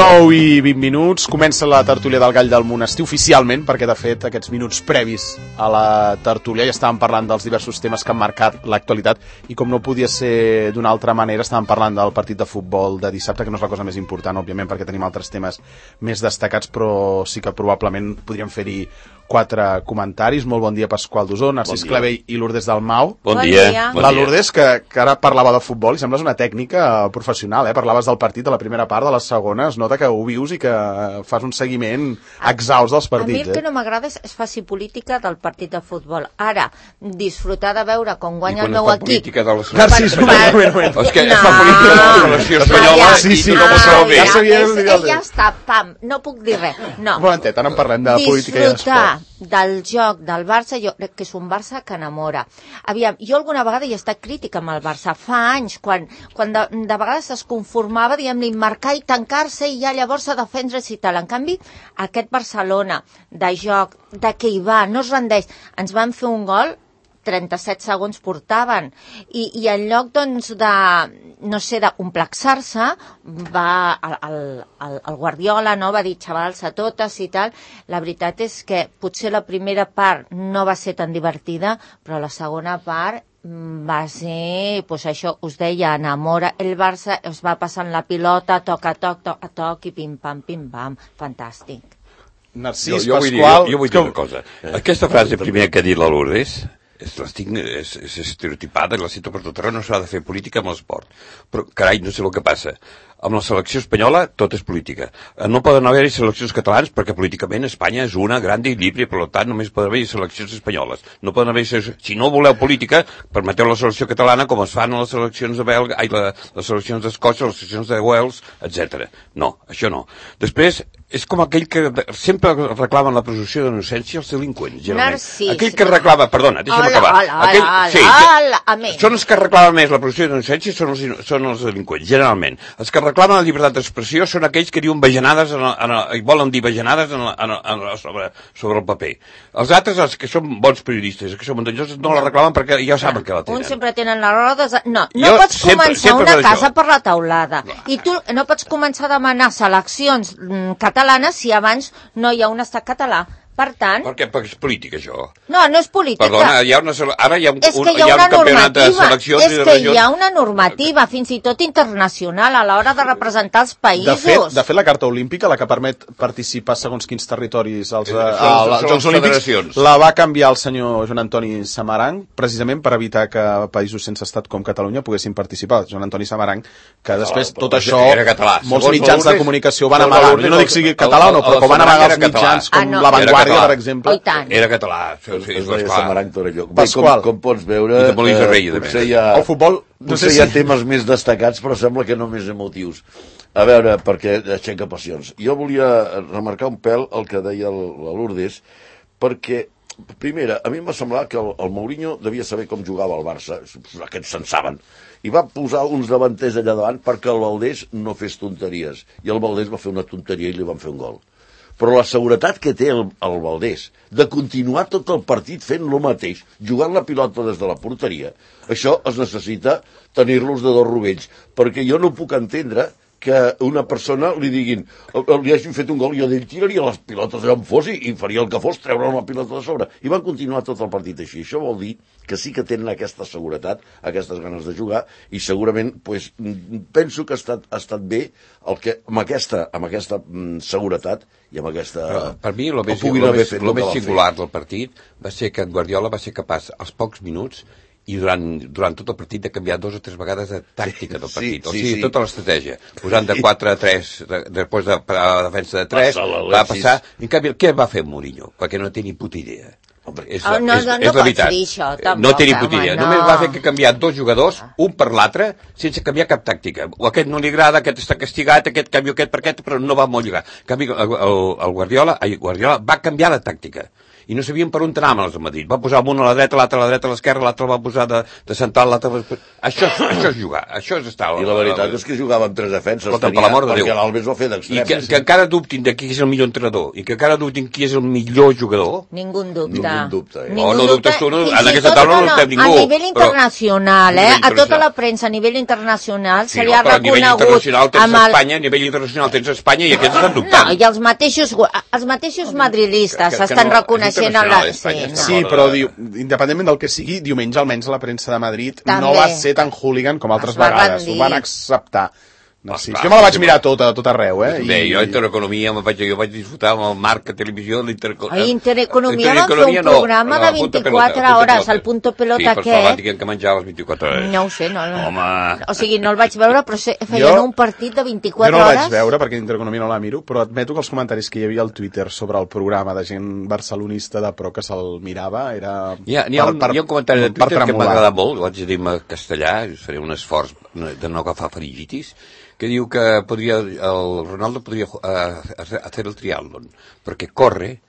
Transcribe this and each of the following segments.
9:20, comença la tertúlia del Gall del Monestir oficialment, perquè de fet aquests minuts previs a la tertúlia ja estàvem parlant dels diversos temes que han marcat l'actualitat i com no podia ser d'una altra manera estàvem parlant del partit de futbol de dissabte, que no és la cosa més important, òbviament, perquè tenim altres temes més destacats, però sí que probablement podríem fer-hi 4 comentaris. Molt bon dia, Pasqual Dosó, Narcís Clavell i Lourdes Dalmau. Bon dia. La Lourdes, que ara parlava de futbol, i sembles una tècnica professional, Parlaves del partit de la primera part, de la segona, es nota que ho vius i que fas un seguiment exhaust dels partits. A mi el que no m'agrada és faci política del partit de futbol. Ara, disfrutar de veure com guanya el meu equip... Narcís, un moment. És que fa política de la selecció espanyola i tothom ho sabeu bé. Ja està, pam, no puc dir res. No. Un momentet, ara en parlem de política i d'esport. Del joc del Barça, jo crec que és un Barça que enamora. Aviam, jo alguna vegada he estat crítica amb el Barça, fa anys, quan de vegades es conformava, diguem-li, marcar i tancar-se i ja llavors a defendre's i tal. En canvi, aquest Barcelona de joc, de què hi va, no es rendeix. Ens van fer un gol, 37 segons portaven, i en lloc, doncs, d'omplexar-se, va el Guardiola, no? Va dir xavals a totes i tal. La veritat és que potser la primera part no va ser tan divertida, però la segona part va ser, doncs això, us deia, enamora. El Barça es va passant la pilota, toc a toc, i pim-pam, fantàstic. Narcís, Pasqual... Jo vull dir una cosa. Aquesta frase primera que ha dit la Lourdes és estereotipada i la cito per tot arreu, no s'ha de fer política amb l'esport. Però, carai, no sé el que passa. Amb la selecció espanyola tot és política. No poden haver-hi seleccions catalanes perquè políticament Espanya és una gran equilibri, per tant només poden haver-hi seleccions espanyoles. No poden haver-hi, si no voleu política, permeteu la selecció catalana com es fan a les seleccions de Belga, les seleccions d'Escòcia, les seleccions de Wales, etc. No, això no. Després, és com aquell que sempre reclamen la presumpció d'innocència als delinqüents, generalment. Narcís. Aquell que reclama, perdona, deixa'm acabar. Són els que reclamen més la presumpció d'innocència són els delinqüents, generalment. Els que reclamen la llibertat d'expressió són aquells que diuen bajanades i volen dir bajanades sobre el paper. Els altres, els que són bons periodistes, que són muntanyosos, no la reclamen perquè ja saben que la tenen. Uns sempre tenen les rodes... No pots començar una casa per la teulada. I tu no pots començar a demanar seleccions catalanes si abans no hi ha un estat català. Per tant... Perquè és política, això. No és política. Perdona, ara hi ha un campionat de seleccions i de regions... És que hi ha una normativa, fins i tot internacional, a l'hora de representar els països. De fet, la Carta Olímpica, la que permet participar segons quins territoris als Jocs Olímpics, la va canviar el senyor Joan Antoni Samaranch, precisament per evitar que països sense estat com Catalunya poguessin participar. Joan Antoni Samaranch, que després tot això, molts mitjans de comunicació van amagar. Jo no dic sigui català o no, però com van amagar els mitjans com La Vanguardia, per exemple. Era català. Es deia Samaranch Torelló. Com pots veure, potser hi ha temes més destacats, però sembla que no més emotius. A veure, perquè aixeca passions. Jo volia remarcar un pèl el que deia la Lourdes, perquè, primera, a mi em va semblar que el Mourinho devia saber com jugava el Barça, aquests se'n saben, i va posar uns davanters allà davant perquè el Valdés no fes tonteries, i el Valdés va fer una tonteria i li van fer un gol. Però la seguretat que té el Valdés de continuar tot el partit fent el mateix, jugant la pilota des de la porteria, això es necessita tenir-los de dos rovells, perquè jo no puc entendre que una persona li diguin, li hagin fet un gol i ell tiraria les pilotes allà on fos i faria el que fos, treure la pilota de sobre. I van continuar tot el partit així. Això vol dir que sí que tenen aquesta seguretat, aquestes ganes de jugar, i segurament penso que ha estat bé el que amb aquesta seguretat i amb aquesta... Per mi, el més singular del partit va ser que Guardiola va ser capaç, als pocs minuts, i durant tot el partit de canviar 2 o 3 vegades de tàctica del partit. O sigui, tota l'estratègia. Posant de 4 a 3, després de la defensa de 3, va passar... En canvi, què va fer Mourinho? Perquè no té ni puta idea. És la veritat. No té ni puta idea. Només va fer que canviar 2 jugadors, un per l'altre, sense canviar cap tàctica. O aquest no li agrada, aquest està castigat, aquest canvio aquest per aquest, però no va molt lligar. En canvi, el Guardiola va canviar la tàctica. i no sabien per on anaven els de Madrid. Va posar un a la dreta, l'altre a la dreta, a l'esquerra, l'altre el va posar de central, l'altre... Això és jugar, això és estar... I la veritat és que jugava amb 3 defenses, perquè l'Albes va fer d'extrem. I que encara dubtin de qui és el millor entrenador, i que encara dubtin qui és el millor jugador. Ningú dubta. No dubtes tu, en aquesta taula no dubtem ningú. A nivell internacional, a tota la premsa a nivell internacional se li ha reconegut... A nivell internacional tens Espanya, a nivell internacional tens Espanya i aquests estan dubtant. No, i els mateixos madridistes estan reconeixent... Sí, però independentment del que sigui, diumenge almenys la premsa de Madrid no va ser tan hooligan com altres vegades. Ho van acceptar. No, sí. Jo me la vaig mirar tot arreu, Bé, jo Intereconomia jo vaig disfrutar amb el Marc a televisió. A Intereconomia van fer un programa de 24 hores, el Punto Pelota aquest. Sí, però van dir que menjar a les 24 hores. No ho sé, no. O sigui, no el vaig veure, però feien un partit de 24 hores. Jo no el vaig veure perquè Intereconomia no la miro, però admeto que els comentaris que hi havia al Twitter sobre el programa de gent barcelonista de pro que se'l mirava era... Hi ha un comentari de Twitter que m'ha agradat molt, ho haig de dir en castellà, faré un esforç de no agafar faringitis, que diu que el Ronaldo podria hacer el triatlón, perquè corre,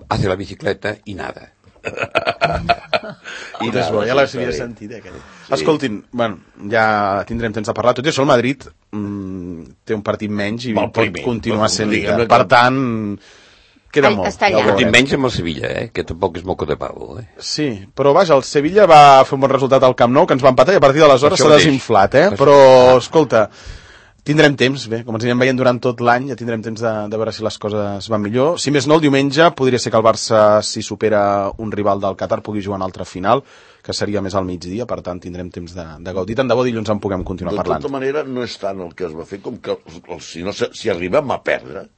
hace la bicicleta i nada. I després, ja l'havia sentit, aquell. Escoltin, bueno, ja tindrem temps de parlar. Tot i això, el Madrid té un partit menys i pot continuar sent líder. Per tant, queda molt. El partit menys amb el Sevilla, que tampoc és moco de pavo. Sí, però vaja, el Sevilla va fer un bon resultat al Camp Nou, que ens va empatar i a partir d'aleshores s'ha desinflat, Però, escolta, tindrem temps, bé, com ens anirem veient durant tot l'any, ja tindrem temps de veure si les coses van millor. Si més no, el diumenge podria ser que el Barça, si supera un rival del Qatar, pugui jugar en altra final, que seria més al migdia, per tant tindrem temps de gaudir. Tant de bo dilluns en puguem continuar parlant. De tota manera, no és tant el que es va fer com que si arribem a perdre,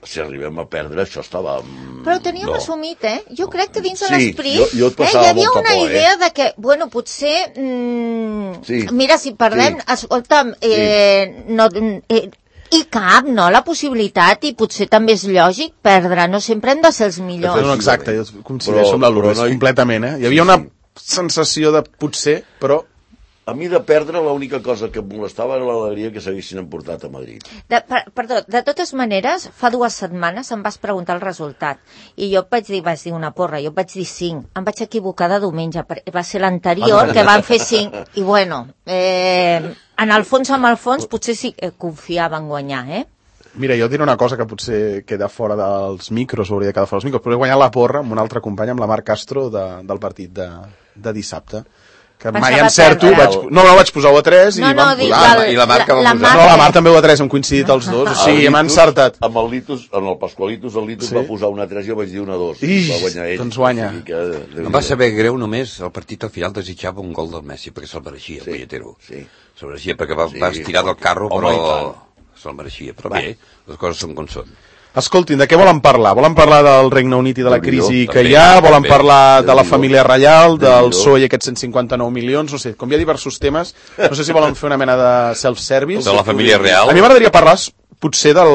això estava... Però ho teníem assumit, Jo crec que dins de l'esperit hi havia una idea de que, bueno, potser... Mira, si perdem... Escolta'm, i cap, no?, la possibilitat, i potser també és lògic perdre, no sempre hem de ser els millors. No, exacte, jo coincideixo amb la Lourdes, completament, Hi havia una sensació de potser, però... A mi de perdre l'única cosa que em molestava era l'alegria que s'haguessin emportat a Madrid. Perdó, de totes maneres, fa 2 setmanes em vas preguntar el resultat i jo vaig dir una porra, jo vaig dir 5. Em vaig equivocar de diumenge, va ser l'anterior que van fer 5 i bueno, en el fons, potser sí que confiava en guanyar, Mira, jo diré una cosa que potser queda fora dels micros, hauria de quedar fora dels micros, però he guanyat la porra amb un altre company, amb la Marc Castro, del partit de dissabte. Que mai encerto, vaig posar 1 a 3 i vam posar. I la Marc va posar. No, la Marc també 1 a 3, hem coincidit els dos, o sigui, hem encertat. Amb el Litus, en el Pasqualitus, el Litus va posar 1 a 3 i jo vaig dir 1 a 2. Va guanyar ell. Doncs guanya. Em va saber greu només, el partit al final desitjava un gol del Messi, perquè se'l mereixia, el Pelletero. Se'l mereixia perquè va estirar del carro, però se'l mereixia. Però bé, les coses són com són. Escoltin, de què volen parlar? Volen parlar del Regne Unit i de la crisi que hi ha? Volen parlar de la família reial, del PSOE i aquests 159 milions? No sé, com hi ha diversos temes, no sé si volen fer una mena de self-service. De la família real? A mi m'agradaria parlar potser de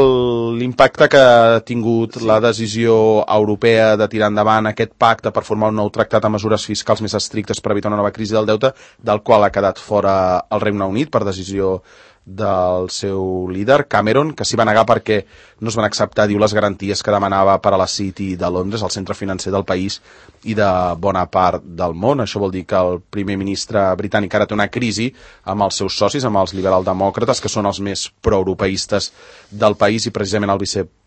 l'impacte que ha tingut la decisió europea de tirar endavant aquest pacte per formar un nou tractat amb mesures fiscals més estrictes per evitar una nova crisi del deute, del qual ha quedat fora el Regne Unit per decisió del seu líder, Cameron, que s'hi va negar perquè no es van acceptar, diu, les garanties que demanava per a la City de Londres, el centre financer del país i de bona part del món. Això vol dir que el primer ministre britànic ara té una crisi amb els seus socis, amb els liberaldemòcrates, que són els més proeuropeistes del país, i precisament el viceprimer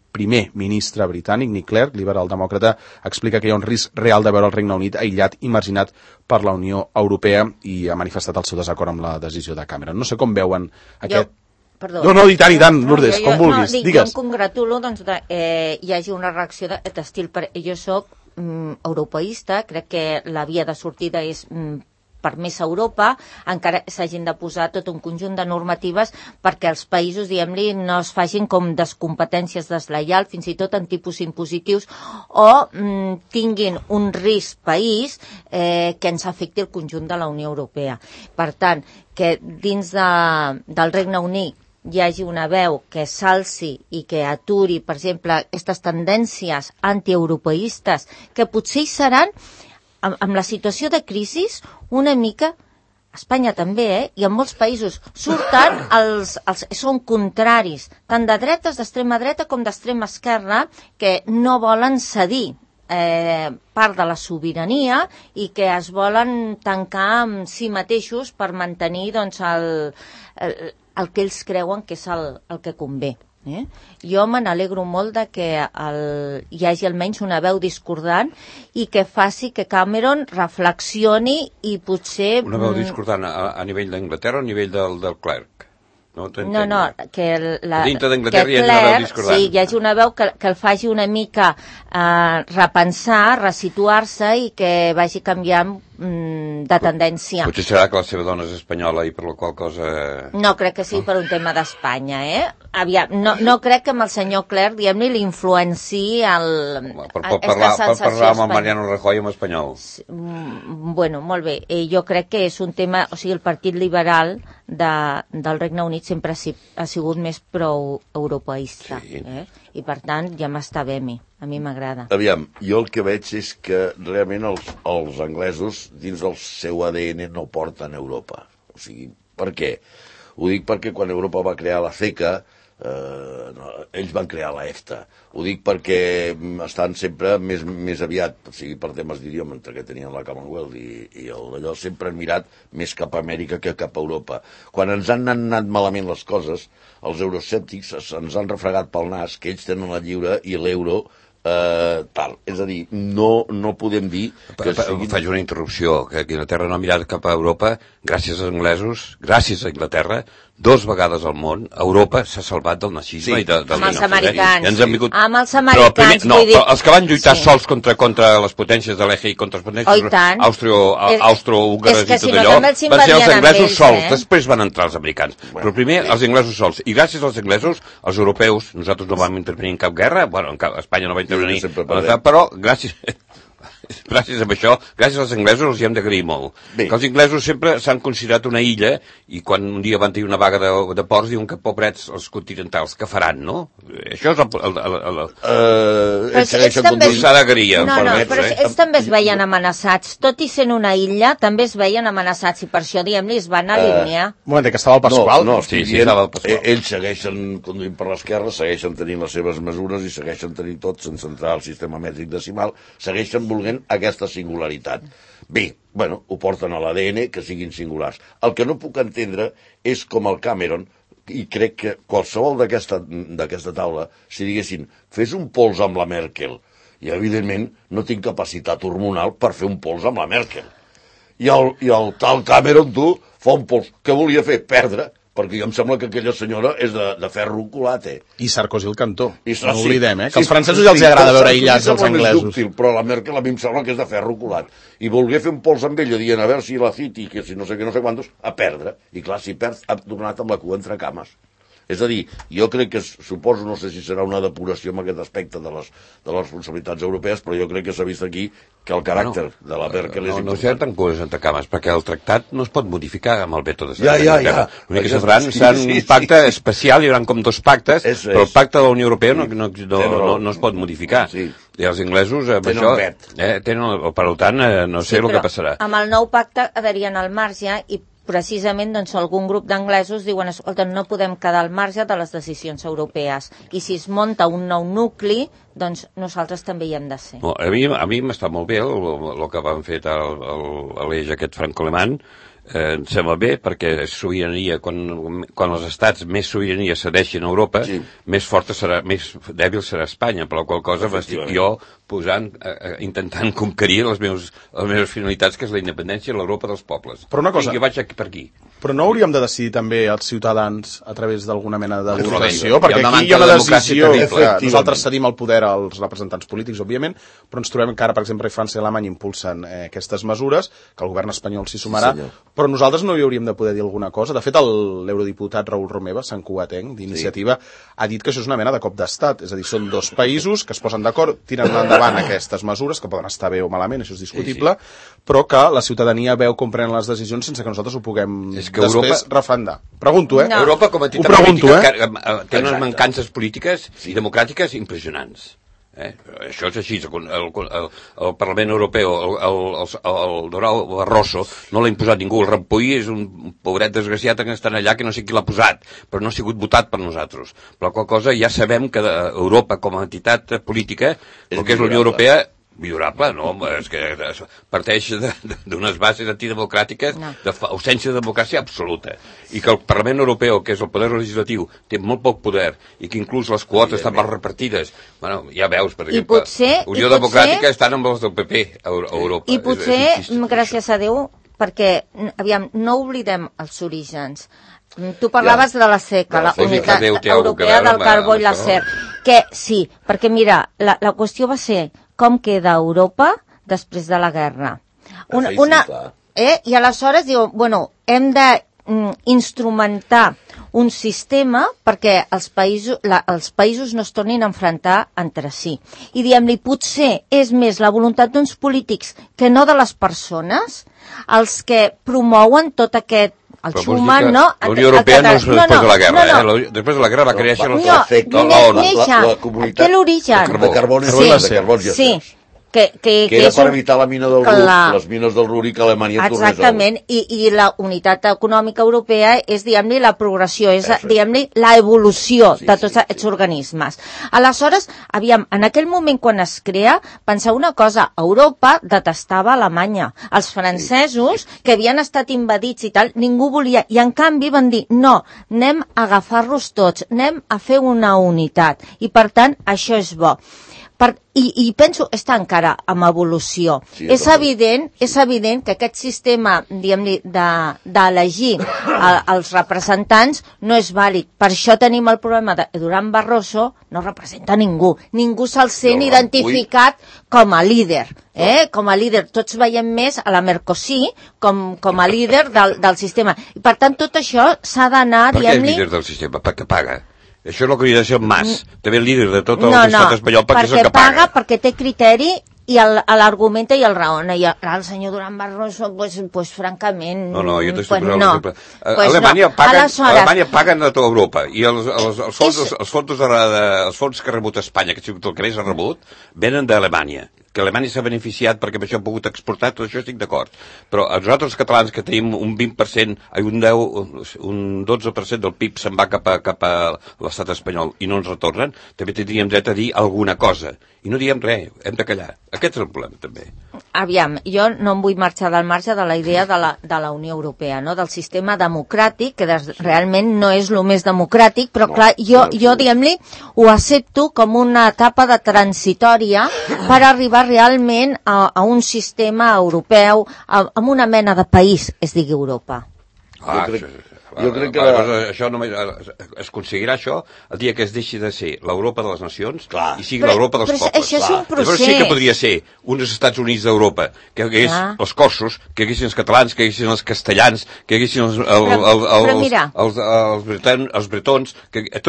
ministre britànic, Nick Clegg, liberal-demòcrata, explica que hi ha un risc real de veure el Regne Unit aïllat i marginat per la Unió Europea i ha manifestat el seu desacord amb la decisió de Cameron. No sé com veuen aquest... Perdó. No, i tant, Lourdes, com vulguis, digues. Jo em congratulo que hi hagi una reacció d'estil... Jo soc europeista, crec que la via de sortida és per més Europa, encara s'hagin de posar tot un conjunt de normatives perquè els països, diguem-li, no es facin com descompetències deslleials, fins i tot en tipus impositius, o tinguin un risc país que ens afecti el conjunt de la Unió Europea. Per tant, que dins del Regne Unit hi hagi una veu que s'alci i que aturi, per exemple, aquestes tendències antieuropeistes, que potser hi seran, amb la situació de crisi, una mica, Espanya també, i en molts països, surten són contraris, tant de dretes, d'extrema dreta, com d'extrema esquerra, que no volen cedir part de la sobirania i que es volen tancar amb si mateixos per mantenir doncs, el que ells creuen que és el que convé. Jo me n'alegro molt de que hi hagi almenys una veu discordant i que faci que Cameron reflexioni i potser... Una veu discordant a nivell d'Anglaterra o a nivell del clerc? No, que dintre d'Anglaterra hi ha una veu discordant. Sí, hi hagi una veu que el faci una mica repensar, resituar-se i que vagi canviant de tendència. Potser serà que la seva dona és espanyola i per la qual cosa... No crec que sigui per un tema d'Espanya, Aviam, no crec que amb el senyor Clerc, diguem-ne, l'influenciï per parlar amb el Mariano Rajoy en espanyol. Bueno, molt bé. Jo crec que és un tema... O sigui, el Partit Liberal del Regne Unit sempre ha sigut més pro-europeista. Sí. I per tant ja m'està bé a mi m'agrada. Aviam, jo el que veig és que realment els anglesos dins del seu ADN no porten Europa. O sigui, per què? Ho dic perquè quan Europa va crear la CECA, ells van crear la EFTA. Ho dic perquè estan sempre més aviat, o sigui, per temes d'idioma, entre que tenien la Commonwealth i d'allò, sempre han mirat més cap a Amèrica que cap a Europa. Quan ens han anat malament les coses, els euroscèptics ens han refregat pel nas que ells tenen la lliure i l'euro tal. És a dir, no podem dir que siguin... Faig una interrupció, que Inglaterra no ha mirat cap a Europa, gràcies als anglesos, gràcies a Inglaterra, 2 vegades al món, Europa s'ha salvat del nazisme i del amb els americans. Amb els americans, vull dir... Els que van lluitar sols contra les potències de l'eje i contra les potències austro-húngares i tot allò, van ser els anglesos sols, després van entrar els americans. Però primer els anglesos sols. I gràcies als anglesos, els europeus, nosaltres no vam intervenir en cap guerra, bueno, Espanya no va intervenir, però gràcies a això, gràcies als anglesos els hi hem d'agrair molt. Que els inglesos sempre s'han considerat una illa i quan un dia van tenir una vaga de ports diuen que pobrets els continentals, que faran, no? Això és s'ha d'agrair. Però ells també es veien amenaçats. Tot i sent una illa, també es veien amenaçats i per això, diguem-li, es van alinear. Un moment, que estava el Pasqual. Sí, estava el Pasqual. Ells segueixen conduint per l'esquerra, segueixen tenint les seves mesures i segueixen tenint tot sense entrar al sistema mètric decimal, segueixen volent aquesta singularitat. Bé, bueno, ho porten a l'ADN, que siguin singulars. El que no puc entendre és com el Cameron, i crec que qualsevol d'aquesta taula, si diguessin, fes un pols amb la Merkel, i evidentment no tinc capacitat hormonal per fer un pols amb la Merkel. I el tal Cameron, tu, fa un pols. Què volia fer? Perdre. Perquè em sembla que aquella senyora és de ferro colat, I Sarkozy el cantó. No oblidem, que als francesos ja els agrada veure aïllats els anglesos. Dúctil, però la Merkel a mi em sembla que és de ferro colat. I volgué fer un pols amb ella dient a veure si la City, que si no sé què, no sé quantos, a perdre. I clar, si perd, ha tornat amb la cua entre cames. És a dir, jo crec que suposo, no sé si serà una depuració en aquest aspecte de les responsabilitats europees, però jo crec que s'ha vist aquí que el caràcter de la Merkel és important. No serà tan cures entre cames, perquè el tractat no es pot modificar amb el veto de Ja. L'únic que serà un pacte especial, hi haurà com 2 pactes, però el pacte de la Unió Europea no es pot modificar. I els inglesos amb això tenen, per tant, no sé el que passarà. Amb el nou pacte quedarien al marge i precisament doncs, algun grup d'anglesos diuen, escolta, no podem quedar al marge de les decisions europees i si es munta un nou nucli doncs nosaltres també hi hem de ser. A mi m'està molt bé el que van fer a l'eix aquest franco-alemany. Em sembla bé perquè sobirania, quan els estats més sobirania cedeixen a Europa, més forta serà, més dèbil serà Espanya, per la qual cosa m'estic jo intentant conquerir les meves finalitats, que és la independència i l'Europa dels pobles. Però una cosa, jo vaig per aquí. Però no hauríem de decidir també els ciutadans a través d'alguna mena de votació? Perquè aquí hi ha una decisió que nosaltres cedim el poder als representants polítics, òbviament, però ens trobem que ara, per exemple, França i Alemanya impulsen aquestes mesures, que el govern espanyol s'hi sumarà, però nosaltres no hi hauríem de poder dir alguna cosa. De fet, l'eurodiputat Raül Romeva, santcugatenc, d'Iniciativa, ha dit que això és una mena de cop d'estat. És a dir, són 2 països que es posen d'acord, tiren endavant aquestes mesures, que poden estar bé o malament, això és discutible, però que la ciutadania veu com prenen les decisions sense que nosaltres ho puguem després refrendar. Pregunto, Europa, com a entitat política, té unes mancances polítiques i democràtiques impressionants. Això és així. El Parlament Europeu, el Durão Barroso, no l'ha imposat ningú. El Rampoi és un pobret desgraciat que està allà, que no sé qui l'ha posat, però no ha sigut votat per nosaltres. Per la qual cosa ja sabem que Europa, com a entitat política, el que és la Unió Europea, Millorable, no, és que parteix d'unes bases antidemocràtiques d'ausència de democràcia absoluta. I que el Parlament Europeu, que és el poder legislatiu, té molt poc poder i que inclús les quotes estan mal repartides. Bueno, ja veus, per exemple, Unió Democràtica estan amb els del PP a Europa. I potser, gràcies a Déu, perquè, aviam, no oblidem els orígens. Tu parlaves de la CECA, la Unitat Europea del Carbó i l'Acer, que sí, perquè mira, la qüestió va ser com queda Europa després de la guerra. I aleshores diu, bueno, hem d'instrumentar un sistema perquè els països no es tornin a enfrontar entre si. I diem-li, potser és més la voluntat d'uns polítics que no de les persones els que promouen tot aquest el Schuman, no? La Unió Europea no és després de la guerra, Després de la guerra va créixer la comunitat de carbons i acers. Que era per evitar la mina del Ruhr, les mines del Ruhr i que Alemanya tornés a... Exactament, i la unitat econòmica europea és, diguem-li, la progressió, és, diguem-li, la evolució de tots aquests organismes. Aleshores, aviam, en aquell moment quan es crea, penseu una cosa, Europa detestava Alemanya. Els francesos, que havien estat invadits i tal, ningú volia, i en canvi van dir, no, anem a agafar-los tots, anem a fer una unitat, i per tant, això és bo. I penso, està encara en evolució. Sí, és evident que aquest sistema, diguem-li, d'elegir els representants no és vàlid. Per això tenim el problema de Durán Barroso no representa ningú. Ningú se'l sent identificat com a líder. Com a líder. Tots veiem més a la Mercosí com a líder del sistema. I per tant, tot això s'ha d'anar, diguem-li... Per què és líder del sistema? Perquè paga. Això és el que hauria de ser el Mas, també el líder de tot l'estat espanyol, perquè és el que paga. Perquè té criteri i l'argumenta i el raona. I el senyor Durán Barroso, pues francament... No, jo t'estic posant un exemple. Alemanya paguen a tota Europa i els fons que ha rebut Espanya, que el que més ha rebut, venen d'Alemanya. Que Alemanya s'ha beneficiat perquè amb això ha pogut exportar, tot això estic d'acord. Però a nosaltres els catalans que tenim un 20%, un 12% del PIB se'n va cap a l'estat espanyol i no ens retornen, també tindríem dret a dir alguna cosa. I no diem res, hem de callar. Aquest és el problema, també. Aviam, jo no em vull marxar del marge de la idea de la Unió Europea, no? Del sistema democràtic, que realment no és el més democràtic, però clar, jo diguem-li, ho accepto com una etapa de transitòria per arribar realment a un sistema europeu, amb una mena de país, es digui Europa. Jo crec que això només es aconseguirà això el dia que es deixi de ser l'Europa de les nacions i sigui l'Europa dels pobles. Això és un procés. Llavors sí que podria ser uns Estats Units d'Europa, que hi hagués els corsos, que hi haguessin els catalans, que hi haguessin els castellans, que hi haguessin els bretons,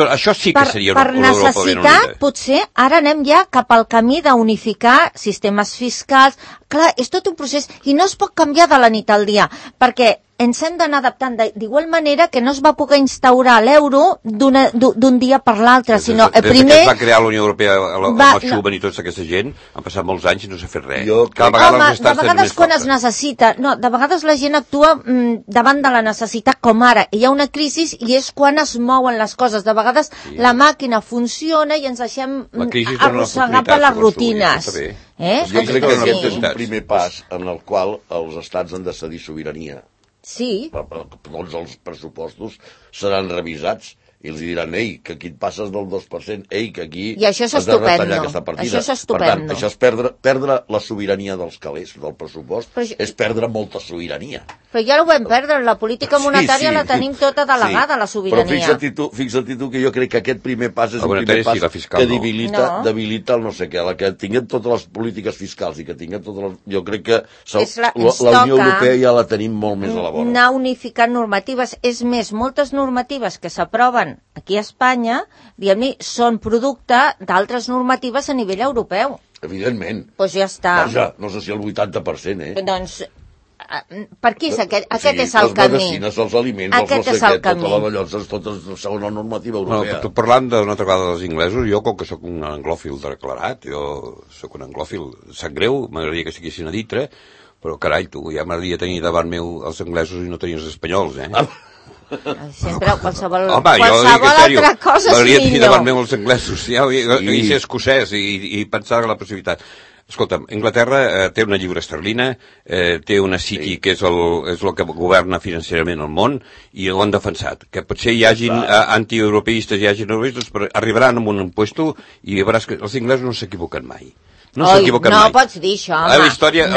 això sí que seria una Europa ben unida. Per necessitat, potser, ara anem ja cap al camí d'unificar sistemes fiscals. Clar, és tot un procés i no es pot canviar de la nit al dia, perquè ens hem d'anar adaptant d'igual manera que no es va poder instaurar l'euro d'un dia per l'altre, sinó primer... Des que es va crear la Unió Europea amb el Schuman i tota aquesta gent, han passat molts anys i no s'ha fet res. De vegades quan es necessita, de vegades la gent actua davant de la necessitat com ara, hi ha una crisi i és quan es mouen les coses, de vegades la màquina funciona i ens deixem arrossegar per les rutines. Jo crec que aquest és un primer pas en el qual els estats han de cedir sobirania. Sí. Tots els pressupostos seran revisats i els diran, ei, que aquí et passes del 2%, ei, que aquí has de retallar aquesta partida. Per tant, això és perdre la sobirania dels calés, del pressupost, és perdre molta sobirania. Però ja ho vam perdre, la política monetària la tenim tota delegada, la sobirania. Però fixa't tu que jo crec que aquest primer pas és un primer pas que debilita el no sé què, que tinguem totes les polítiques fiscals i que tinguem totes les... Jo crec que la Unió Europea ja la tenim molt més a la vora. Anar unificant normatives, és més, moltes normatives que s'aproven aquí a Espanya, diguem-ne, són producte d'altres normatives a nivell europeu. Evidentment. Doncs ja està. Vaja, no sé si el 80%, Doncs, per què és aquest és el camí? Les medicines, els aliments, els no sé què, tota la ballonses, totes segons la normativa europea. No, parlant d'una altra vegada dels inglesos, jo, com que sóc un anglòfil declarat, jo sóc un anglòfil, sap greu, m'agradaria que siguessin a ditre, però carai, tu, ja m'agradaria tenir davant meu els anglesos i no tenir els espanyols, Sempre qualsevol altra cosa és millor. M'agradaria tenir davant meu els anglesos i ser escocès i pensar en la possibilitat. Escolta'm, Anglaterra té una lliura esterlina, té una City que és el que governa financerament el món, i ho han defensat. Que potser hi hagin antieuropeistes, hi hagin europeistes, però arribaran amb un impuesto i veuràs que els inglesos no s'equivoquen mai. No s'equivoquen mai. No pots dir això, home. La història,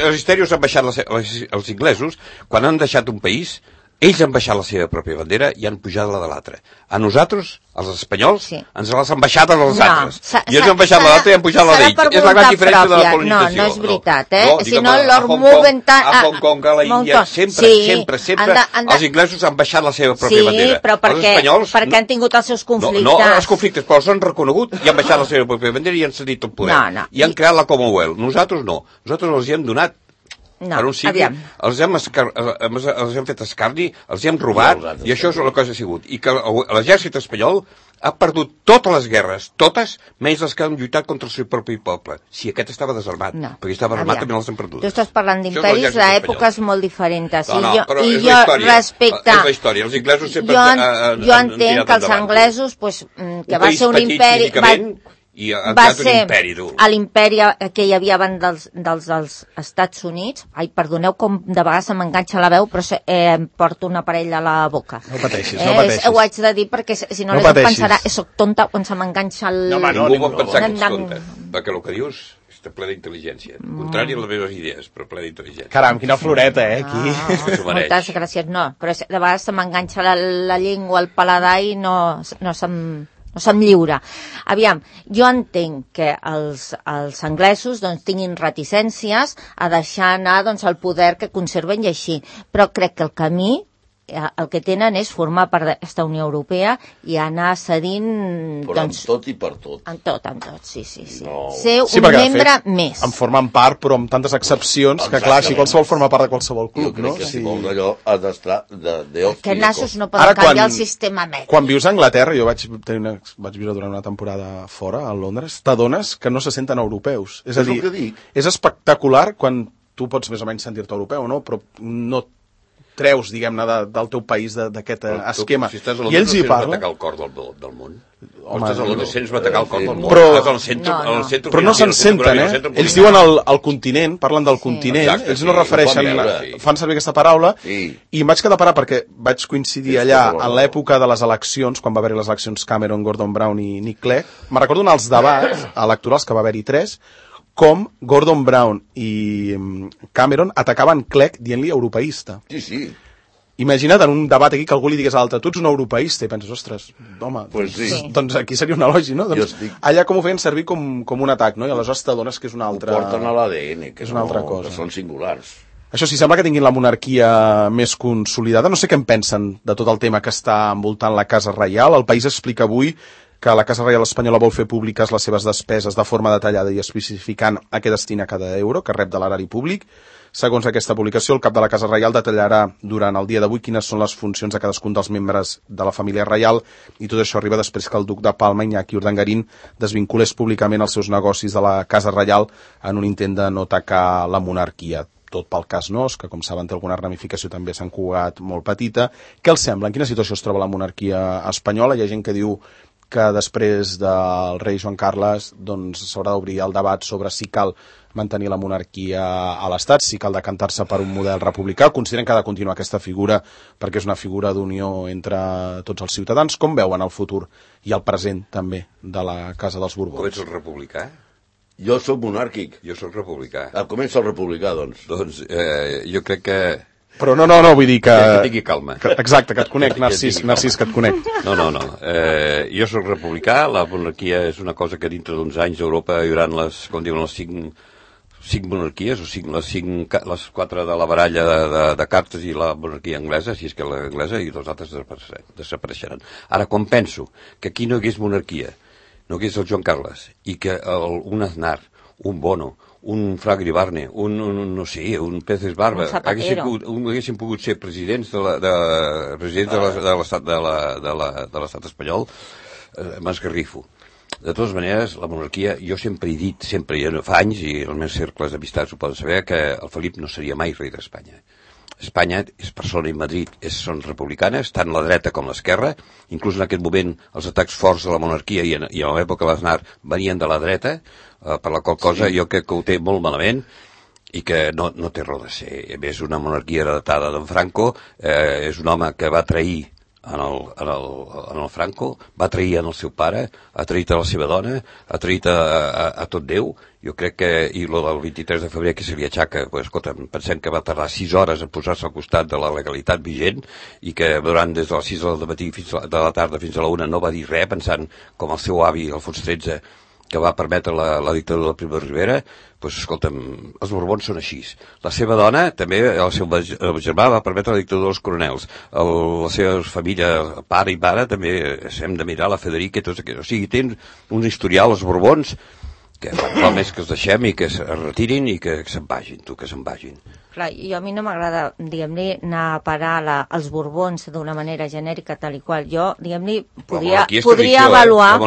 els històrics han baixat els inglesos, quan han deixat un país, ells han baixat la seva pròpia bandera i han pujat la de l'altre. A nosaltres, els espanyols, ens les han baixat als altres. I ells han baixat la d'altre i han pujat la d'ells. És la gran diferència de la colonització. No és veritat, Si no, Lord Mountbatten... A Hong Kong, a l'Índia, sempre, els inglesos han baixat la seva pròpia bandera. Sí, però perquè han tingut els seus conflictes. No, els conflictes, però els han reconegut i han baixat la seva pròpia bandera i han cedit el poder. I han creat la Commonwealth. Nosaltres no. Nosaltres els hi hem donat per un sigui, els hem fet escarni, els hem robat, i això és la cosa que ha sigut. I que l'exèrcit espanyol ha perdut totes les guerres, totes, menys les que han lluitat contra el seu propi poble. Si aquest estava desarmat, perquè estava armat també les han perdut. Tu estàs parlant d'imperis d'èpoques molt diferents. No, però és la història. És la història. Els inglesos sempre jo entenc que els anglesos, que va ser un imperi... va ser l'imperi que hi havia abans dels Estats Units. Ai, perdoneu com de vegades se m'enganxa la veu, però em porto un aparell a la boca. No pateixis, no pateixis. Ho haig de dir perquè si no la gent pensarà soc tonta quan se m'enganxa el... Ningú pot pensar que ets tonta, perquè el que dius està ple d'intel·ligència. Contrari a les meves idees, però ple d'intel·ligència. Caram, quina floreta, aquí. Moltes gràcies. No, però de vegades se m'enganxa la llengua, el paladar i no se'm lliura. Aviam, jo entenc que els anglesos tinguin reticències a deixar anar el poder que conserven i així, però crec que el camí el que tenen és formar part d'aquesta Unió Europea i anar cedint... Però amb tot i per tot. Amb tot, sí. No. Ser un membre més. En formen part, però amb tantes excepcions, que clar, així qualsevol forma part de qualsevol club, no? Jo crec que si vols allò ha d'estar de que nassos no poden canviar el sistema mètric. Quan vius a Anglaterra, jo vaig viure durant una temporada fora, a Londres, t'adones que no se senten europeus. És a dir, és espectacular quan tu pots més o menys sentir-te europeu, no? Però no treus, diguem-ne, del teu país d'aquest esquema. Si estàs a Londres, no sents atacar el cor del món. Estàs a Londres, sents atacar el cor del món. Però no se'n senten, Ells diuen el continent, parlen del continent, ells no refereixen, fan servir aquesta paraula, i em vaig quedar parar perquè vaig coincidir allà en l'època de les eleccions, quan va haver-hi les eleccions Cameron, Gordon Brown i Nick Clegg. Me'n recordo en els debats electorals, que va haver-hi 3, com Gordon Brown i Cameron atacaven Clegg dient-li europeista. Sí. Imagina't en un debat aquí que algú li digués a l'altre, tu ets un europeista, i penses, ostres, home, doncs aquí seria un elogi, no? Doncs allà com ho feien servir com un atac, no? I aleshores t'adones que és una altra... Ho porten a l'ADN, que és una altra cosa. Que són singulars. Això sí, sembla que tinguin la monarquia més consolidada. No sé què en pensen de tot el tema que està envoltant la Casa Reial. El País explica avui que la Casa Reial espanyola vol fer públiques les seves despeses de forma detallada i especificant a què destina cada euro que rep de l'erari públic. Segons aquesta publicació, el cap de la Casa Reial detallarà durant el dia d'avui quines són les funcions de cadascun dels membres de la família reial, i tot això arriba després que el duc de Palma, Iñaki Urdangarín, desvinculés públicament els seus negocis de la Casa Reial en un intent de no atacar la monarquia. Tot pel cas Nos, que com saben té alguna ramificació també a Sant Cugat molt petita. Què els sembla? En quina situació es troba la monarquia espanyola? Hi ha gent que diu que després del rei Joan Carles s'haurà d'obrir el debat sobre si cal mantenir la monarquia a l'Estat, si cal decantar-se per un model republicà. Consideren que ha de continuar aquesta figura perquè és una figura d'unió entre tots els ciutadans. Com veuen el futur i el present també de la Casa dels Borbons? Com ets el republicà? Jo sóc monàrquic. Jo sóc republicà. Com ets el republicà, doncs? Doncs jo crec que... Però no, vull dir que... Que tingui calma. Exacte, que et conec, Narcís, que et conec. No. Jo sóc republicà, la monarquia és una cosa que dintre d'uns anys a Europa hi haurà com diuen, les cinc monarquies, o les 4 de la baralla de cartes i la monarquia anglesa, si és que l'anglesa, i els altres desapareixeran. Ara, quan penso que aquí no hi hagués monarquia, no hi hagués el Joan Carles, i que un Aznar, un Bono, un Fragri Barne, un Peces Barba, haguessin pogut ser presidents de l'estat espanyol, m'esgarrifo. De totes maneres, la monarquia, jo sempre he dit, fa anys, i els meus cercles d'amistats ho poden saber, que el Felip no seria mai rei d'Espanya. Espanya és Barcelona i Madrid són republicanes, tant la dreta com l'esquerra, inclús en aquest moment els atacs forts a la monarquia i a l'època de l'Aznar venien de la dreta, per la qual cosa jo crec que ho té molt malament i que no té raó de ser. A més, una monarquia heretada d'en Franco, és un home que va trair en el Franco, va trair en el seu pare, ha traït a la seva dona, ha traït a tot Déu. Jo crec que, i lo del 23 de febrer que se li aixaca, escolta, pensem que va tardar 6 hores en posar-se al costat de la legalitat vigent i que durant des de les 6 del matí de la tarda fins a la 1 no va dir res, pensant com el seu avi, Alfons XIII, que va permetre la dictadura de Primo de Rivera. Doncs escolta'm, els Borbons són així. La seva dona, també, el seu germà, va permetre la dictadura dels coronels. La seva família, pare i mare, també hem de mirar la Federica i tots aquests. O sigui, tenen un historial, els Borbons, que val més que els deixem i que es retirin i que se'n vagin, que se'n vagin. Clar, a mi no m'agrada, diguem-li, anar a parar als Borbons d'una manera genèrica, tal i qual. Jo, diguem-li, podria avaluar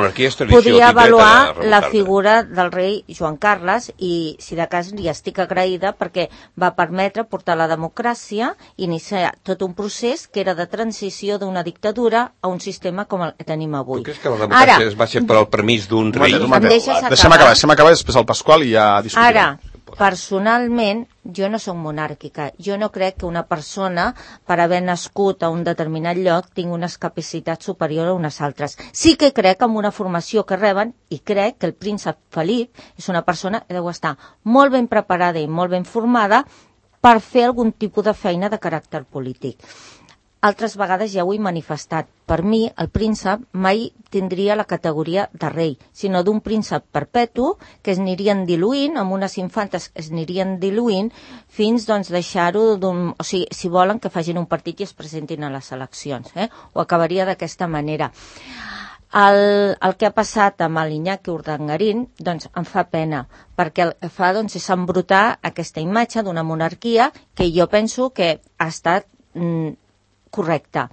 la figura del rei Joan Carles i, si de cas, li estic agraïda perquè va permetre portar la democràcia, iniciar tot un procés que era de transició d'una dictadura a un sistema com el que tenim avui. Tu creus que la democràcia es va ser per al permís d'un rei? Deixem acabar després el Pasqual i ja discutirem. Ara, personalment, jo no soc monàrquica. Jo no crec que una persona, per haver nascut a un determinat lloc, tingui unes capacitats superiors a unes altres. Sí que crec en una formació que reben, i crec que el príncep Felip és una persona que deu estar molt ben preparada i molt ben formada per fer algun tipus de feina de caràcter polític. Altres vegades ja ho he manifestat. Per mi, el príncep mai tindria la categoria de rei, sinó d'un príncep perpetu que es anirien diluint, amb unes infantes que es anirien diluint, fins doncs deixar-ho o sigui, si volen que facin un partit i es presentin a les eleccions. Ho acabaria d'aquesta manera. El que ha passat amb l'Iñaki Urdangarín doncs em fa pena, perquè el que fa doncs, és embrutar aquesta imatge d'una monarquia que jo penso que ha estat correcta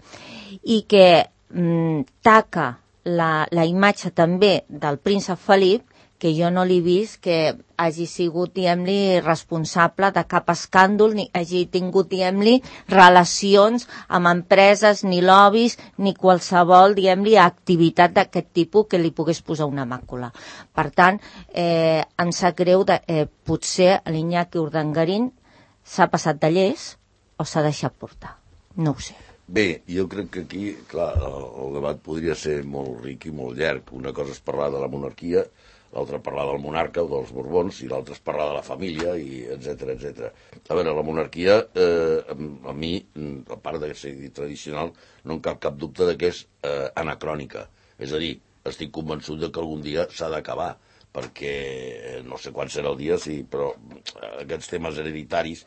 i que taca la imatge també del príncep Felip, que jo no l'he vist que hagi sigut, diguem-li, responsable de cap escàndol, ni hagi tingut, diguem-li, relacions amb empreses, ni lobbies, ni qualsevol, diguem-li, activitat d'aquest tipus que li pogués posar una màcula. Per tant, em sap greu, potser l'Iñaki Urdangarín s'ha passat de llest o s'ha deixat portar. No ho sé. Bé, jo crec que aquí, clar, el debat podria ser molt ric i molt llarg. Una cosa és parlar de la monarquia, l'altra parlar del monarca o dels Borbons, i l'altra és parlar de la família, i etcètera, etcètera. A veure, la monarquia, a mi, a part de ser tradicional, no em cap dubte de que és anacrònica. És a dir, estic convençut de que algun dia s'ha d'acabar, perquè no sé quan serà el dia, sí, però aquests temes hereditaris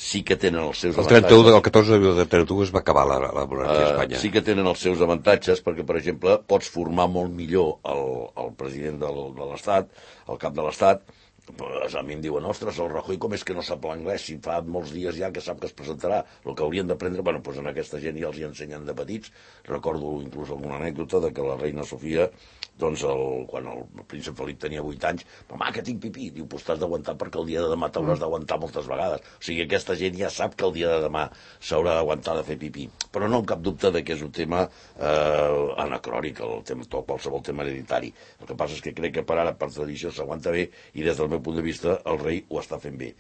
sí que tenen els seus avantatges. El 14 de 31 es va acabar la monarquia a Espanya. Sí que tenen els seus avantatges, perquè, per exemple, pots formar molt millor el president de l'Estat, el cap de l'Estat. A mi em diuen, ostres, el Rajoy com és que no sap l'anglès, si fa molts dies ja que sap que es presentarà. El que haurien d'aprendre, bueno, doncs en aquesta gent ja els hi ensenyen de petits. Recordo inclús alguna anècdota de que la reina Sofia, doncs quan el príncep Felip tenia 8 anys, mamà, que tinc pipí, diu, pues t'has d'aguantar perquè el dia de demà t'hauràs d'aguantar moltes vegades. O sigui, aquesta gent ja sap que el dia de demà s'haurà d'aguantar de fer pipí. Però no amb cap dubte de que és un tema anacrònic, qualsevol tema hereditari. El que passa és que crec que per ara, per tradició, s'aguanta bé, i des del meu punt de vista el rei ho està fent bé.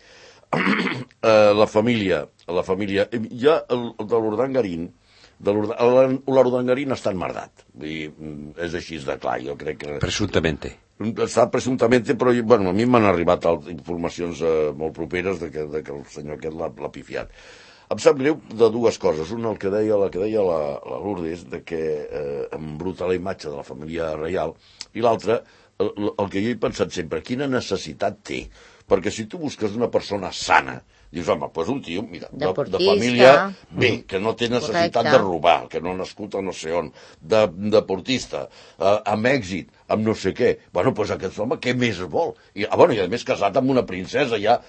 La família, ja el de l'Urdangarín, l'Urdangarín està enmerdat. És així de clar, jo crec que... Presumptamente. Està presumptament, però bueno, a mi m'han arribat informacions molt properes de que el senyor aquest l'ha pifiat. Em sap greu de dues coses. Una, el que deia la Lourdes, de que embruta la imatge de la família reial, i l'altra, el que jo he pensat sempre, quina necessitat té? Perquè si tu busques una persona sana, dius, home, doncs un tio, mira, de família bé, que no té necessitat de robar, que no ha nascut a no sé on, deportista, amb èxit, amb no sé què. Bueno, doncs aquest home, què més vol? I a més casat amb una princesa, ja...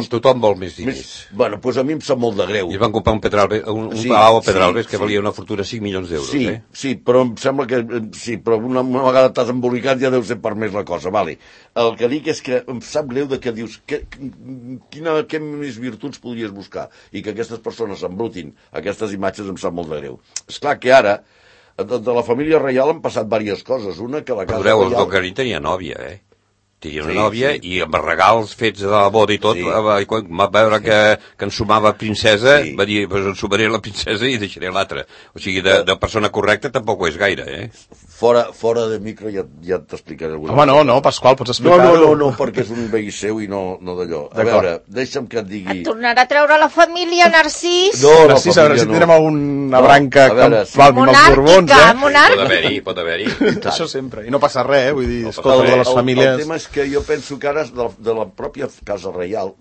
Tothom vol més diners. Bueno, doncs a mi em sap molt de greu. I van comprar un palau a Pedralbes que valia una fortuna de 5 milions d'euros, Sí, però em sembla que... Sí, però una vegada t'has embolicat ja deu ser per més la cosa, vale. El que dic és que em sap greu de que dius què més virtuts podries buscar i que aquestes persones embrutin aquestes imatges em sap molt de greu. Esclar que ara de la família reial han passat diverses coses. Una, que la casa reial... El Docarí tenia nòvia, Tenia una nòvia i amb regals fets de la boda i tot, quan va veure que ensumava princesa, va dir, ensumaré la princesa i deixaré l'altra. O sigui, de persona correcta tampoc ho és gaire, Fora de micro ja t'explicaré alguna cosa. Home, no, Pasqual, pots explicar-ho. No, perquè és un veí seu i no d'allò. A veure, deixa'm que et digui... Et tornarà a treure la família, Narcís? No, Narcís, a veure si tindrem alguna branca que palmi amb els Borbons, monàrquica. Pot haver-hi. Això sempre. I no passa res, vull dir, escolta, de les famílies... El tema és que jo penso que ara de la pròpia Casa Reial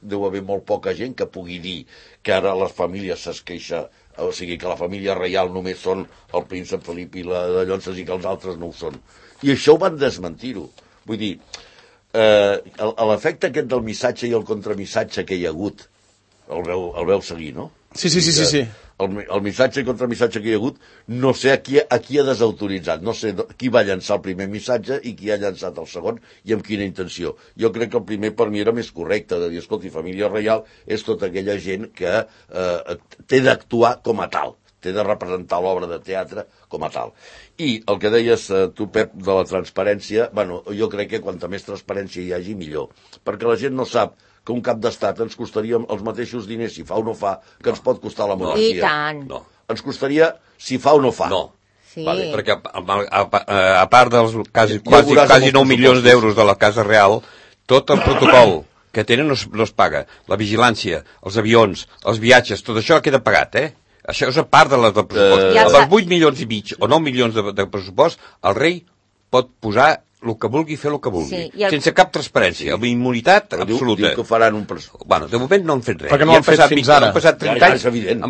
deu haver molt poca gent que pugui dir que ara les famílies es queixa, o sigui, que la família reial només són el príncep Felip i la de Llonses i que els altres no ho són. I això ho van desmentir-ho. Vull dir, l'efecte aquest del missatge i el contramissatge que hi ha hagut, el veu seguir, no? Sí. El missatge i contramissatge que hi ha hagut, no sé a qui ha desautoritzat, no sé qui va llançar el primer missatge i qui ha llançat el segon i amb quina intenció. Jo crec que el primer per mi era més correcte, de dir, escolti, família reial és tota aquella gent que té d'actuar com a tal, té de representar l'obra de teatre com a tal. I el que deies tu, Pep, de la transparència, bueno, jo crec que quanta més transparència hi hagi, millor, perquè la gent no sap que un cap d'estat ens costaria els mateixos diners si fa o no fa que ens pot costar la monarquia. I tant. No. Ens costaria si fa o no fa. No. Sí. Vale, perquè a part dels quasi 9 milions d'euros de la Casa Real, tot el protocol que tenen no es paga. La vigilància, els avions, els viatges, tot això queda pagat, Això és a part del pressupost. Amb els 8 milions i mig o 9 milions de pressupost, el rei pot posar el que vulgui, fer el que vulgui, sense cap transparència, amb immunitat absoluta. Diu que faran un pressupost. Bueno, de moment no han fet res. Perquè no han fet fins ara. Han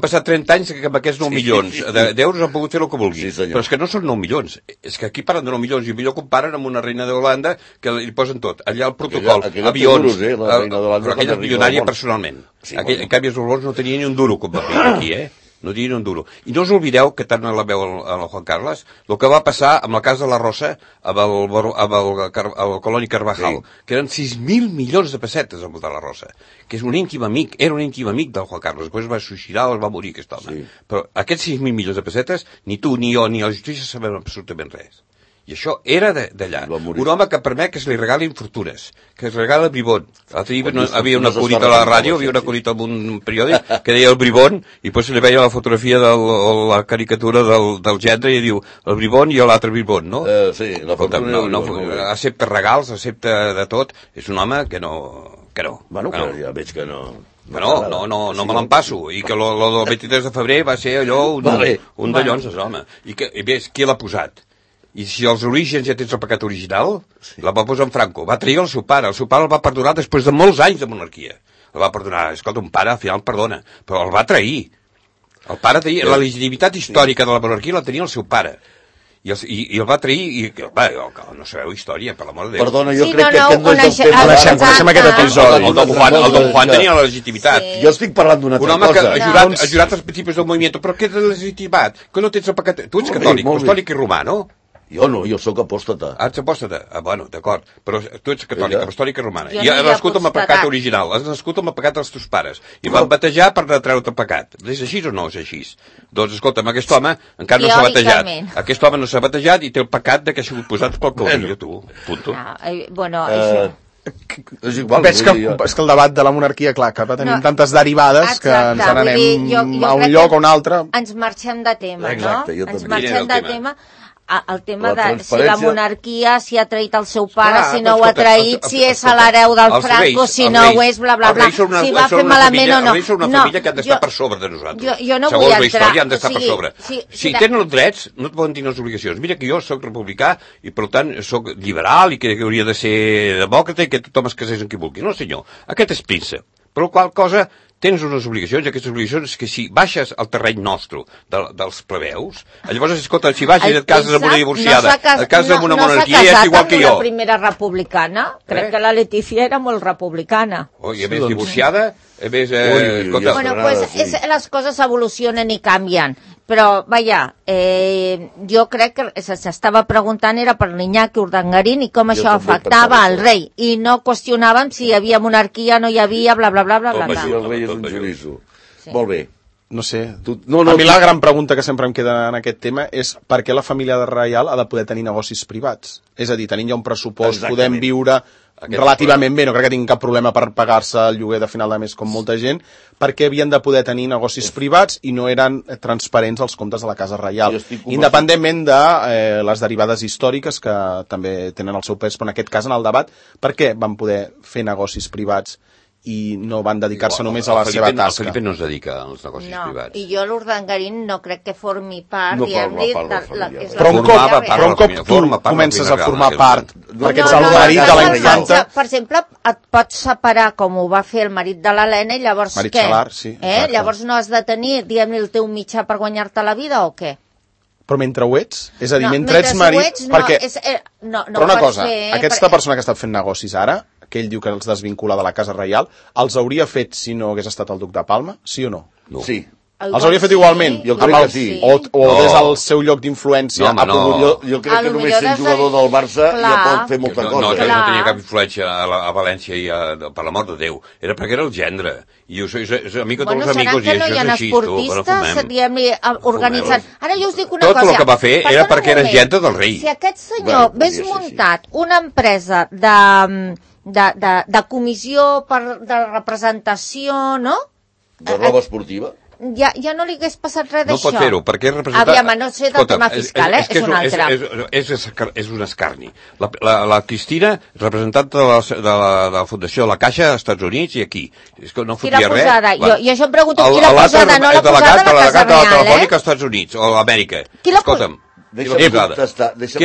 passat 30 anys que amb aquests 9 milions d'euros han pogut fer el que vulgui. Però és que no són 9 milions. És que aquí parlen de 9 milions i millor comparen amb una reina d'Holanda que li posen tot. Allà el protocol, avions... Però aquella és milionària personalment. En canvi, els Borbons no tenia ni un duro com va fer aquí, No tenia un duro. I no us oblideu que tant la veu el Juan Carles, el que va passar amb la Casa de la Rosa, amb el Coloni Carvajal, que eren 6.000 milions de pessetes amb de la Rosa, que és un íntim amic, era un íntim amic del Juan Carles, després va suïcidar o es va morir aquest home. Però aquests 6.000 milions de pessetes, ni tu, ni jo, ni la justícia sabem absolutament res. I això era d'allà. Un home que permet que se li regalin fortunes, que es regala bribón. L'altre dia havia un acudit a la ràdio, havia un acudit en un periòdic que deia el bribón, i després se li veia la fotografia de la caricatura del gendre i diu el bribón i l'altre bribón, no? Sí, la fortuna... Accepta regals, accepta de tot. És un home que no. Bueno, que ja veig que no... No me l'empasso. I que el 23 de febrer va ser allò un de llonses, home. I ves, qui l'ha posat? I si els orígens ja tens el pecat original, la va posar en Franco. Va trair el seu pare el va perdonar després de molts anys de monarquia. El va perdonar. Escolta, un pare al final perdona, però el va trair. El pare tenia la legitimitat històrica de la monarquia la tenia el seu pare. I el va trair i no sabeu història, per l'amor de Déu. Perdona, jo crec que aquest no és el tema. Coneixem aquest episodi. El Don Juan tenia la legitimitat. Jo estic parlant d'una altra cosa. Un home que ha jurat als principis del moviment, però què de legitimitat? Que no tens el pecat... Tu ets catòlic i romà, no? Jo no, jo sóc apòstata. Ets apòstata? Bueno, d'acord. Però tu ets catòlica, apostòlica i romana. I has nascut amb el pecat original, has nascut amb el pecat dels teus pares. I van batejar per treure-te el pecat. És així o no és així? Doncs, escolta'm, aquest home encara no s'ha batejat. Aquest home no s'ha batejat i té el pecat de que ha sigut posat pel cavall, tu. Punto. Bueno, és igual. Veig que el debat de la monarquia, clar, que va tenir tantes derivades que ens n'anem a un lloc o un altre. Ens marxem de tema, no? Ens marxem de tema. El tema de si la monarquia, si ha traït el seu pare, si no ho ha traït, si és l'hereu del Franco, si no ho és, bla, bla, bla. Si va fer malament o no. Els reis són una família que han d'estar per sobre de nosaltres. Jo no vull entrar. Segons la història han d'estar per sobre. Si tenen els drets, no et poden tenir les obligacions. Mira que jo soc republicà i, per tant, soc liberal i que hauria de ser demòcrata i que tothom es casés amb qui vulgui. No, senyor. Aquest és príncep. Per la qual cosa tens unes obligacions, i aquestes obligacions que si baixes al terreny nostre dels plebeus, llavors, escolta, si baixes et cases amb una divorciada, et cases amb una monarquia, és igual que jo. No s'ha casat amb una primera republicana. Crec que la Letícia era molt republicana. I a més divorciada, a més... Bueno, pues les coses evolucionen i canvien. Però, vaja, jo crec que s'estava preguntant era per l'Iñaki Urdangarín i com això afectava al rei. I no qüestionàvem si hi havia monarquia, no hi havia, bla, bla, bla, bla, bla. Si el rei és un xoriço. Molt bé. No sé. A mi la gran pregunta que sempre em queda en aquest tema és per què la família reial ha de poder tenir negocis privats? És a dir, tenint ja un pressupost, podem viure relativament bé, no crec que tinguin cap problema per pagar-se el lloguer de final de mes com molta gent, perquè havien de poder tenir negocis privats i no eren transparents els comptes de la Casa Reial, independentment de les derivades històriques que també tenen el seu pes, però en aquest cas en el debat, per què van poder fer negocis privats i no van dedicar-se només a la seva tasca? El Felipe no es dedica als negocis privats. I jo l'Urdangarín no crec que formi part, però un cop tu comences a formar part, perquè ets el marit de la infanta... Per exemple, et pots separar com ho va fer el marit de l'Helena i llavors què? Llavors no has de tenir, diguem-ne, el teu mitjà per guanyar-te la vida o què? Però mentre ho ets? És a dir, mentre ets marit... Però una cosa, aquesta persona que està fent negocis ara, que ell diu que els desvincula de la Casa Reial, els hauria fet si no hagués estat el duc de Palma? Sí o no? Sí. Els hauria fet igualment? Jo crec que sí. O des del seu lloc d'influència? Jo crec que només sent jugador del Barça ja pot fer molta cosa. No tenia cap influència a València i per la mort de Déu. Era perquè era el gendre. I és amic de tots els amigos i això és així. Bueno, seran que no hi ha esportistes organitzant. Ara jo us dic una cosa. Tot el que va fer era perquè era gent del rei. Si aquest senyor hagués muntat una empresa de comissió de representació, no? De roba esportiva? Ja no li hagués passat res d'això. No pot fer-ho, perquè és representat... Aviam, no sé del tema fiscal, és un altre. És un escarni. La Cristina, representant de la Fundació de la Caixa als Estats Units i aquí. És que no fotia res. Qui l'ha posada? Jo em pregunto qui l'ha posada, no l'ha posada la Casa Reial, la telefònica als Estats Units o a Amèrica. Escolta'm. Qui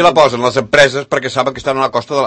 la posen? Les empreses, perquè saben que estan a la costa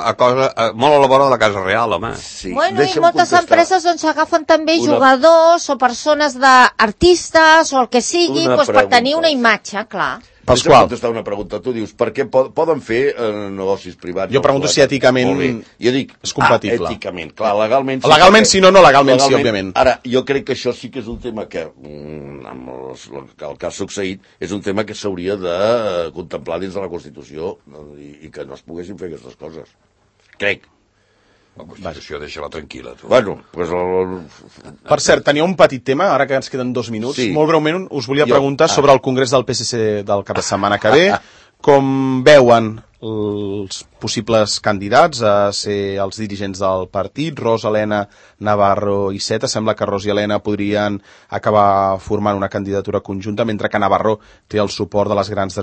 molt a la vora de la Casa Real, home. Bueno, i moltes empreses on s'agafen també jugadors o persones d'artistes o el que sigui per tenir una imatge, clar. Pasqual. Deixa'm contestar una pregunta. Tu dius, per què poden fer negocis privats? Jo pregunto si èticament és compatible. Èticament, clar, legalment sí. Legalment sí, no legalment sí, òbviament. Ara, jo crec que això sí que és un tema que, amb el que ha succeït, és un tema que s'hauria de contemplar dins de la Constitució i que no es poguessin fer aquestes coses. Crec. La Constitució, deixa-la tranquil·la, tu. Bueno, pues Per cert, tenia un petit tema, ara que ens queden 2 minuts. Sí. Molt breument us volia preguntar sobre el congrés del PSC del cap de setmana que ve. Com veuen els possibles candidats a ser els dirigents del partit, Ros, Helena, Navarro i Iceta? Sembla que Ros i Helena podrien acabar formant una candidatura conjunta, mentre que Navarro té el suport de les grans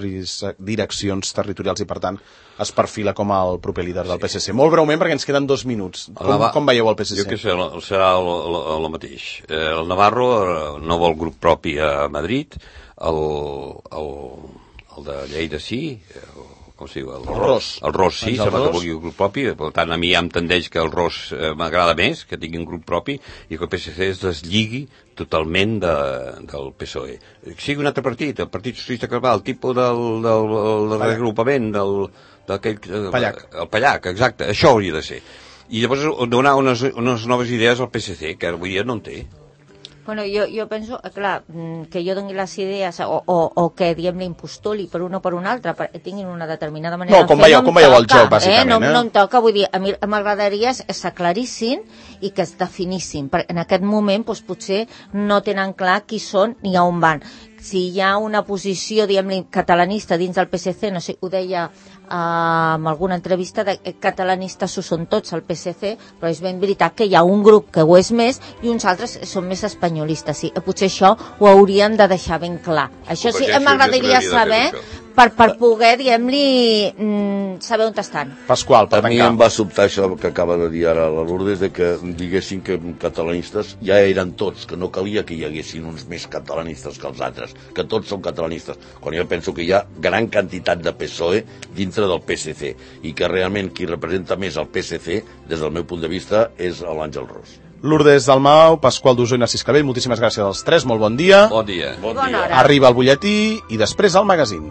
direccions territorials i, per tant, es perfila com el proper líder del PSC. Molt breument, perquè ens queden 2 minuts. Com veieu el PSC? Jo què sé, serà el mateix. El Navarro no vol grup propi a Madrid, el de Lleida sí, com es diu? El Ros sí, sembla que vulgui un grup propi, per tant a mi ja em tendeix que el Ros m'agrada més, que tingui un grup propi, i que el PSC es deslligui totalment del PSOE. Que sigui un altre partit, el Partit Socialista Català, el tipus del regrupament, el Pallac, exacte, això hauria de ser. I llavors donar unes noves idees al PSC, que avui dia no en té. Bueno, jo penso, clar, que jo doni les idees o que, diguem-ne, impostuli per un o per un altre, tinguin una determinada manera de fer. No, com veieu el joc, bàsicament. No em toca, vull dir, a mi m'agradaria que s'aclarissin i que es definissin. En aquest moment, doncs, potser no tenen clar qui són ni a on van. Si hi ha una posició, diguem-ne, catalanista dins del PSC, no sé, ho deia en alguna entrevista, catalanistes ho són tots al PSC, però és ben veritat que hi ha un grup que ho és més i uns altres són més espanyolistes. Sí, potser això ho hauríem de deixar ben clar. Això sí, m'agradaria saber per poder, diguem-li, saber on estan. Pasqual, per tancar. A mi em va sobtar això que acaba de dir ara la Lourdes, de que diguessin que catalanistes ja eren tots, que no calia que hi haguessin uns més catalanistes que els altres, que tots són catalanistes, quan jo penso que hi ha gran quantitat de PSOE dintre del PSC, i que realment qui representa més el PSC, des del meu punt de vista, és l'Àngel Ros. Lourdes Dalmau, Pasqual Dusó i Narcís Cabell, moltíssimes gràcies als tres, molt bon dia. Bon dia. Bona hora. Arriba el butlletí i després el magazín.